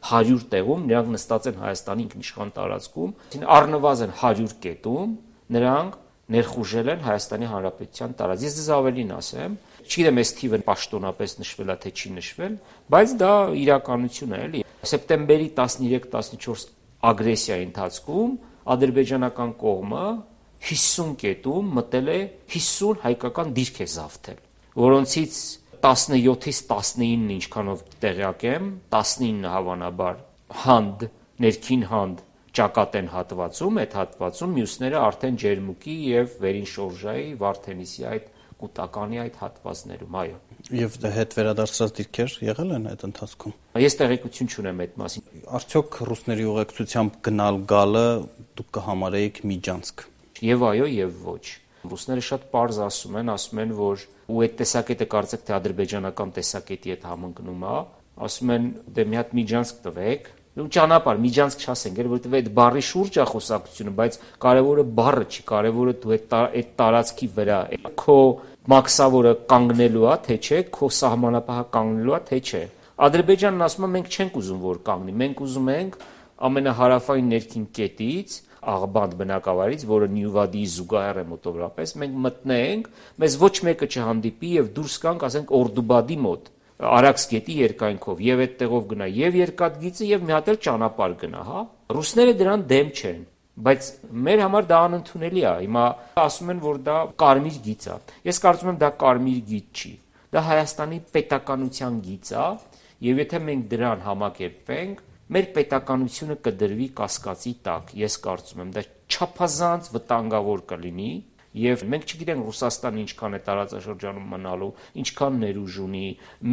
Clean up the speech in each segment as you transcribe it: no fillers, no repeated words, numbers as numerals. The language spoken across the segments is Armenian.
100 տեղում, նրանք նստած են Հայաստանի ինքնիշխան տարածքում, առնվազն 100 կետում նրանք ներխուժել են Հայաստանի Հանրապետության տարածք։ Ես ձեզ ավելին ասեմ, չգիտեմ այս թիվը պաշտոնապես նշվել է թե չի նշվել, բայց դա իրականություն է, էլի։ Սեպտեմբերի 13-14 ագրեսիայի ընթացքում ադրբեջանական կողմը 50 կետում մտել է 50 հայկական դիրք է զավթել, որոնցից 17-ից 19-ն ինչքանով տեղյակ եմ, 19 հավանաբար հանդ, ներքին հանդ ճակատեն հատվածում, այդ հատվածում, մյուսները արդեն Ջերմուկի եւ Վերին Շորժայի, Վարդենիսի այդ կൂട്ടականի այդ հատվածներում, այո։ Եվ հետ վերադարձած դիրքեր եղել են այդ ընթացքում։ Ես տեղեկություն չունեմ այդ մասին։ Արդյոք ռուսների ուղեկցությամբ գնալ գալը դուք կհամարեիք միջանցք։ Եվ այո, եւ ոչ։ Ռուսները շատ պարզ ասում են, որ ու այդ տեսակետը կարծեք թե ադրբեջանական տեսակետի հետ համընկնում է, ասում են դե մի հատ միջանցք տվեք, ու ճանապարհ միջանցք չասենք, որովհետեւ այդ բառի շուրջ է խոսակցությունը, բայց կարևորը բառը չի, կարևորը դու այդ տարածքի վրա քո մաքսավորը կանգնելու է, թե չէ, քո սահմանապահը կանգնելու է, թե չէ։ Ադրբեջանն ասում է մենք չենք ուզում որ կանգնի, մենք ուզում ենք ամենահարավային ներքին կետից աղբանդ բնակավարից, որը Նյուվադիի զուգահեռ է մոտավորապես, մենք մտնենք, մեզ ոչ մեկը չհանդիպի եւ դուրս գանք, ասենք Օրդուբադի մոտ, Արաքս գետի երկայնքով եւ այդ տեղով գնա եւ երկաթգիծը եւ մի հատ էլ ճանապարհ գնա, հա։ Ռուսները դրան դեմ չեն, բայց մեր համար դա անընդունելի է։ Հիմա ասում են, որ դա կարմիր գիծ է։ Ես կարծում եմ դա կարմիր գիծ չի։ Դա Հայաստանի պետականության գիծ է եւ եթե մենք դրան համակերպվենք, մեր պետականությունը կդրվի կասկածի տակ, ես կարծում եմ, դա չափազանց վտանգավոր կլինի եւ մենք չգիտենք Ռուսաստանը ինչքան է տարածաշրջանում մնալու, ինչքան ներուժ ունի,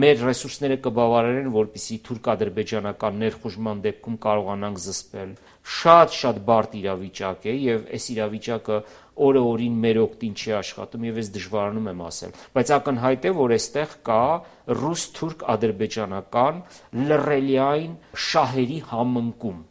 մեր ռեսուրսները կբավարարեն, որպեսզի թուրք-ադրբեջանական ներխուժման դեպքում կարողանանք զսպել։ Շատ բարդ իրավիճակ է եւ այս իրավիճակը օրը օրին մեր օգտին չի աշխատում եւ ես դժվարանում եմ ասել, բայց ակնհայտ է, որ այստեղ կա ռուս-թուրք-ադրբեջանական լռելիային շահերի համընկում